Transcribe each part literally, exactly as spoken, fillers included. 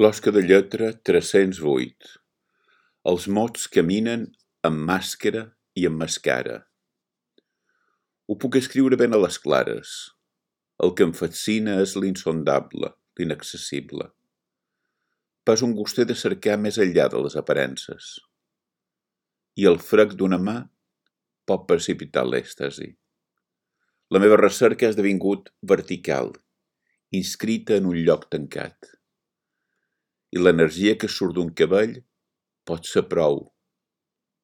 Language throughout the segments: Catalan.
Closca de lletra tres-cents vuit. Els mots caminen amb màscara i amb mascara. Ho puc escriure ben a les clares. El que em fascina és l'insondable, l'inaccessible. Pas un gustet de cercar més enllà de les aparences. I el frec d'una mà pot precipitar l'èxtasi. La meva recerca ha esdevingut vertical, inscrita en un lloc tancat. I l'energia que surt d'un cabell pot ser prou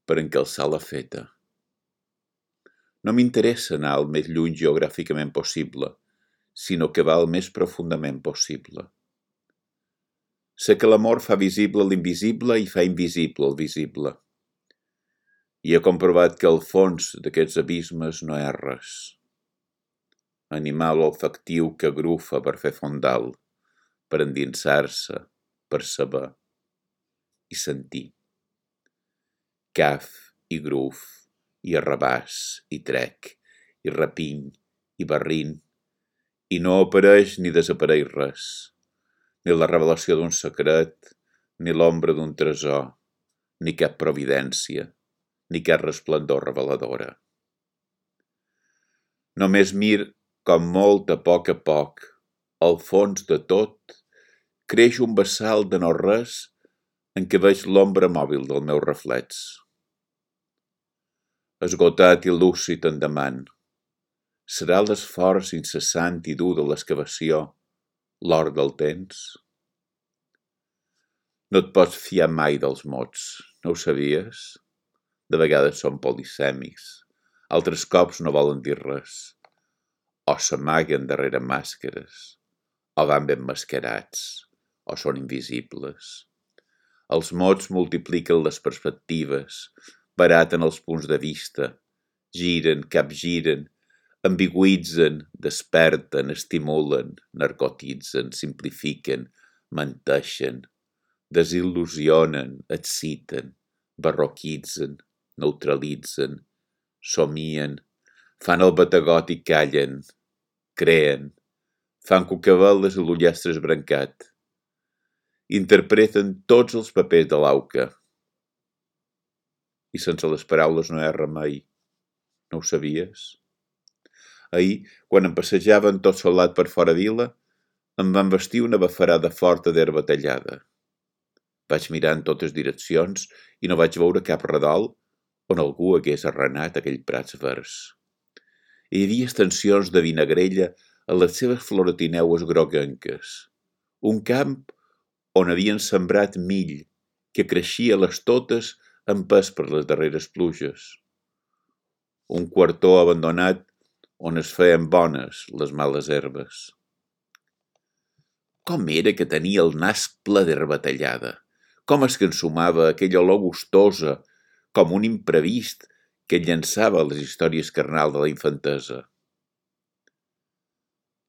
per encalçar la feta. No m'interessa anar el més lluny geogràficament possible, sinó que va el més profundament possible. Sé que l'amor fa visible l'invisible i fa invisible el visible. I he comprovat que al fons d'aquests abismes no hi ha res. Animal olfactiu que agrufa per fer fondal, per endinsar-se, per saber i sentir. Caf i gruf, i arrabàs, i trec, i rapiny, i barrin, i no apareix ni desapareix res, ni la revelació d'un secret, ni l'ombra d'un tresor, ni cap providència, ni cap resplendor reveladora. Només mir com molt a poc a poc, al fons de tot, creix un vessal de no res en què veig l'ombra mòbil del meu reflex. Esgotat i lúcid endavant, serà l'esforç incessant i dur de l'excavació l'or del temps? No et pots fiar mai dels mots, no ho sabies? De vegades són polisèmics, altres cops no volen dir res, o s'amaguen darrere màscares, o van ben mascarats, o són invisibles. Els mots multipliquen les perspectives, baraten els punts de vista, giren, capgiren, ambigüitzen, desperten, estimulen, narcotitzen, simplifiquen, menteixen, desil·lusionen, exciten, barroquitzen, neutralitzen, somien, fan el bategot i callen, creen, fan cucaveles i l'ullastre esbrancat, interpreten tots els papers de l'auca. I sense les paraules no hi ha remei. No ho sabies? Ahir, quan em passejaven tot solat per fora vila, em van vestir una bafarada forta d'herba tallada. Vaig mirar en totes direccions i no vaig veure cap redol on algú hagués arrenat aquell prats verds. Hi havia extensions de vinagrella a les seves floretineues groguenques. Un camp on havien sembrat mill, que creixia a les totes empès per les darreres pluges. Un quartó abandonat on es feien bones les males herbes. Com era que tenia el nas ple d'herba tallada? Com es que ensumava aquella olor gustosa, com un imprevist que llançava les històries carnals de la infantesa?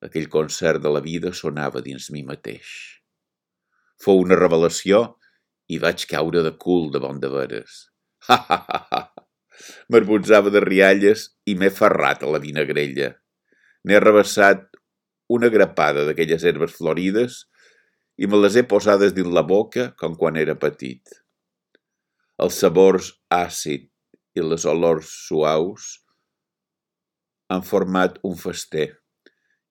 Aquell concert de la vida sonava dins mi mateix. Fou una revelació i vaig caure de cul de bon de veres. Ha, ha, ha, ha! M'arbotzava de rialles i m'he ferrat a la vinagrella. N'he rebassat una grapada d'aquelles herbes florides i me les he posades dins la boca com quan era petit. Els sabors àcid i les olors suaus han format un fester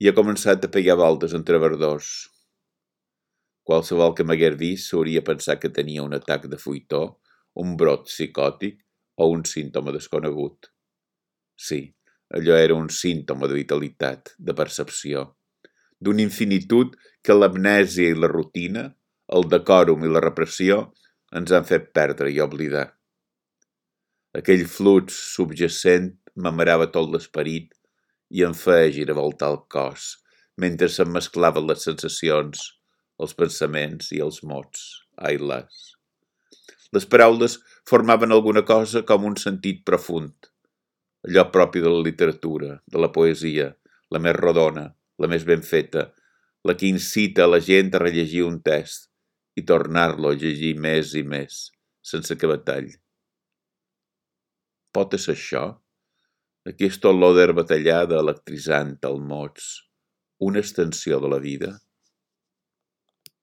i he començat a pegar voltes entre verdors. Qualsevol que m'hagués vist s'hauria pensat que tenia un atac de fuitó, un brot psicòtic o un símptoma desconegut. Sí, allò era un símptoma de vitalitat, de percepció, d'una infinitud que l'amnèsia i la rutina, el decòrum i la repressió ens han fet perdre i oblidar. Aquell flux subjacent m'amarava tot l'esperit i em feia giravoltar el cos, mentre se'm mesclaven les sensacions, els pensaments i els mots, ai las. Les paraules formaven alguna cosa com un sentit profund, allò propi de la literatura, de la poesia, la més rodona, la més ben feta, la que incita a la gent a rellegir un text i tornar-lo a llegir més i més, sense que batall. Pot ser això? Aquesta olor d'herba tallada electritzant al mots, una extensió de la vida?